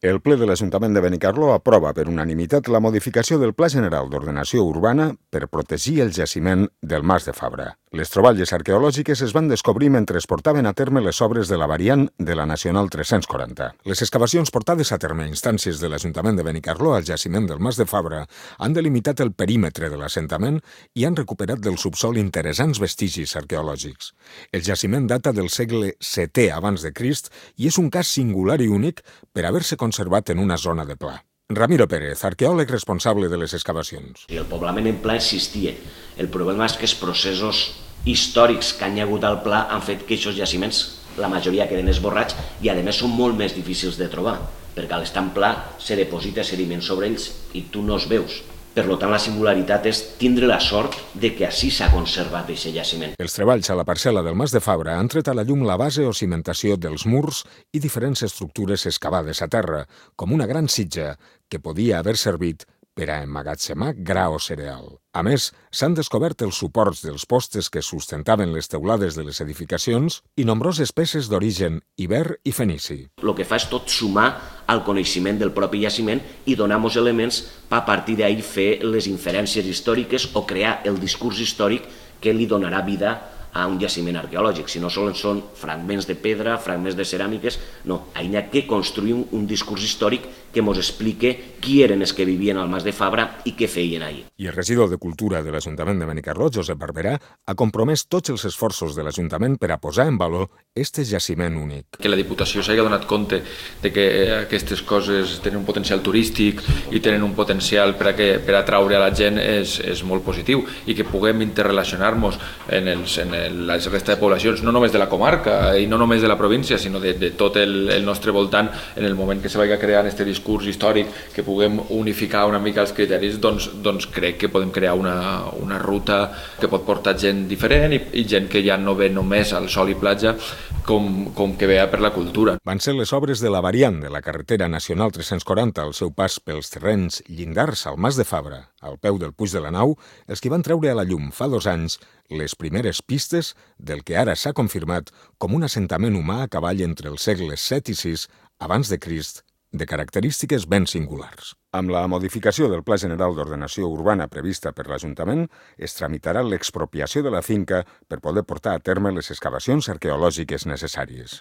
El ple de l'Ajuntament de Benicarló aprova per unanimitat la modificació del Pla General d'Ordenació Urbana per protegir el jaciment del Mas de Fabra. Les troballes arqueològiques es van descobrir mentre es portaven a terme les obres de la variant de la Nacional 340. Les excavacions portades a terme a instàncies de l'Ajuntament de Benicarló al jaciment del Mas de Fabra han delimitat el perímetre de l'assentament i han recuperat del subsol interessants vestigis arqueològics. El jaciment data del segle VII abans de Crist i és un cas singular i únic per haver-se conservat en una zona de pla. Ramiro Pérez, arqueòleg responsable de les excavacions. El poblament en pla existia. El problema és que els processos històrics que han hi hagut al pla han fet que aquests jaciments, la majoria queden esborrats i a més són molt més difícils de trobar, perquè a l'estar en pla se deposita sediment sobre ells i tu no els veus. Per tant, la singularitat és tindre la sort de que així s'ha conservat aquest jaciment. Els treballs a la parcel·la del Mas de Fabra han tret a la llum la base o cimentació dels murs i diferents estructures excavades a terra, com una gran sitja que podia haver servit per a emmagatzemar gra o cereal. A més, s'han descobert els suports dels postes que sustentaven les teulades de les edificacions i nombroses peces d'origen iber i fenici. El que fa és tot sumar al coneixement del propi jaciment i donar-nos elements per a partir d'ahir fer les inferències històriques o crear el discurs històric que li donarà vida a un jaciment arqueològic. Si no sols són fragments de pedra, fragments de ceràmiques, no. Hi ha que construir un discurs històric que ens explique qui eren els que vivien al Mas de Fabra i què feien ahir. I el regidor de Cultura de l'Ajuntament de Benicarló, Josep Barberà, ha compromès tots els esforços de l'Ajuntament per a posar en valor este jaciment únic. Que la Diputació s'hagi donat compte de que aquestes coses tenen un potencial turístic i tenen un potencial per atraure a la gent és molt positiu i que puguem interrelacionar-nos en la resta de poblacions, no només de la comarca i no només de la província, sinó de tot el nostre voltant, en el moment que se vagi creant aquest discurs històric, que puguem unificar una mica els criteris, doncs crec que podem crear una ruta que pot portar gent diferent i gent que ja no ve només al sol i platja com que ve per la cultura. Van ser les obres de la variant de la carretera nacional 340 al seu pas pels terrenys llindars al Mas de Fabra, al peu del Puig de la Nau, els que van treure a la llum fa 2 anys les primeres pistes del que ara s'ha confirmat com un assentament humà a cavall entre els segles VII i VI abans de Crist, de característiques ben singulars. Amb la modificació del Pla General d'Ordenació Urbana prevista per l'Ajuntament, es tramitarà l'expropiació de la finca per poder portar a terme les excavacions arqueològiques necessàries.